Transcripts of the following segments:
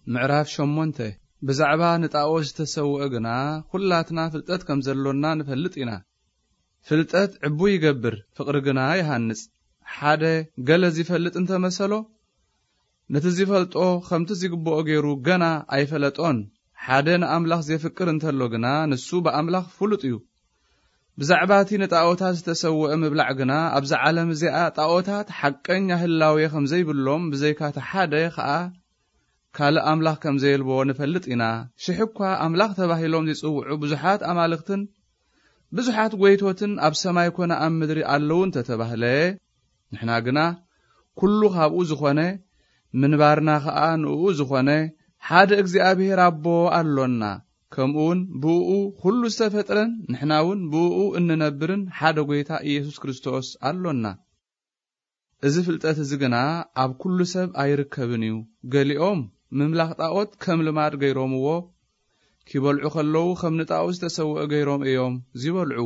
ምዕራፍ ሸሞንተ። ብዛዕባ ንጣኦት ዝተሰውአ ግና፣ ኩላትና ፍልጠት ከም ዘሎና ንፈልጥ ኢና። ፍልጠት ዕቡይ ይገብር፣ ፍቕሪ ግና ይሃንጽ። ሓደ ገለ ዚፈልጥ እንተመሰሎ፣ ነቲ ዚፈልጦ ኸምቲ ዚግብኦ ገይሩ ገና ኣይፈለጦን። ሓደ ንኣምላኽ ዜፍቅር እንተሎ ግና፣ ንሱ ብኣምላኽ ፍሉጥ እዩ። ብዛዕባ እቲ ንጣኦታት ዝተሰውአ ምብላዕ ግና፣ ኣብዛ ዓለም እዚኣ ጣኦታት ሓቀኛ ህላዌ ኸም ዘይብሎም፣ ብዘይካ እቲ ሓደ ኸኣ ካልእ ኣምላኽ ከም ዘየልቦ ንፈልጥ ኢና። ሽሕ እኳ ኣምላኽ ተባሂሎም ዚጽውዑ ብዙሓት ኣማልኽትን ብዙሓት ጐይቶትን ኣብ ሰማይ ኰነ ኣብ ምድሪ ኣለዉ እንተ ተባህለ፣ ንሕና ግና ኩሉ ካብኡ ዝኾነ፣ ምንባርና ኸኣ ንእኡ ዝኾነ ሓደ እግዚኣብሔር ኣቦ ኣሎና። ከምኡውን ብእኡ ኩሉ ዝተፈጥረን ንሕና እውን ብእኡ እንነብርን ሓደ ጐይታ ኢየሱስ ክርስቶስ ኣሎና። እዚ ፍልጠት እዚ ግና ኣብ ኩሉ ሰብ ኣይርከብን እዩ። ገሊኦም ምምላኽ ጣኦት ከም ልማድ ገይሮምዎ፣ ኪበልዑ ኸለዉ ኸም ንጣኦት ዝተሰውአ ገይሮም እዮም ዚበልዑ።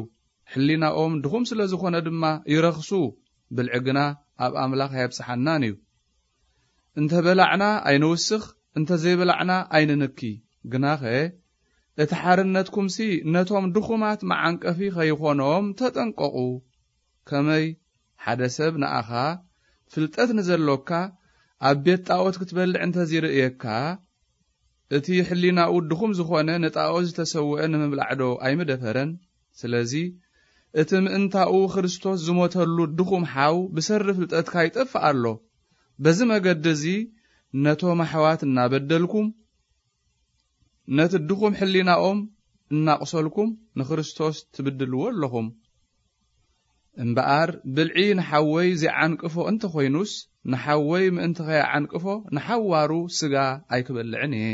ሕሊናኦም ድኹም ስለ ዝኾነ ድማ ይረኽሱ፣ ብልዒ ግና ኣብ ኣምላኽ ኣየብጽሓናን እዩ። እንተ በላዕና ኣይንውስኽ፣ እንተ ዘይበላዕና ኣይንንኪ። ግናኸ እቲ ሓርነትኩምሲ ነቶም ድኹማት መዓንቀፊ ኸይኾኖም ተጠንቀቑ። ከመይ ሓደ ሰብ ንኣኻ ፍልጠት ንዘሎካ ኣብ ቤት ጣኦት ክትበልዕ እንተ ዚርእየካ፣ እቲ ሕሊናኡ ድኹም ዝኾነ ንጣኦት ዝተሰውአ ንምብላዕዶ ኣይምደፈረን? ስለዚ እቲ ምእንታኡ ክርስቶስ ዝሞተሉ ድኹም ሓው ብሰሪ ፍልጠትካ ይጠፍእ ኣሎ። በዚ መገዲ እዚ ነቶም ኣሕዋት እናበደልኩም፣ ነቲ ድኹም ሕሊናኦም እናቑሰልኩም ንክርስቶስ ትብድልዎ ኣለኹም። እምበኣር ብልዒ ንሓወይ ዚዓንቅፎ እንተ ኾይኑስ፣ ንሓወይ ምእንቲ ኸይዓንቅፎ ንሓዋሩ ስጋ ኣይክበልዕን እየ።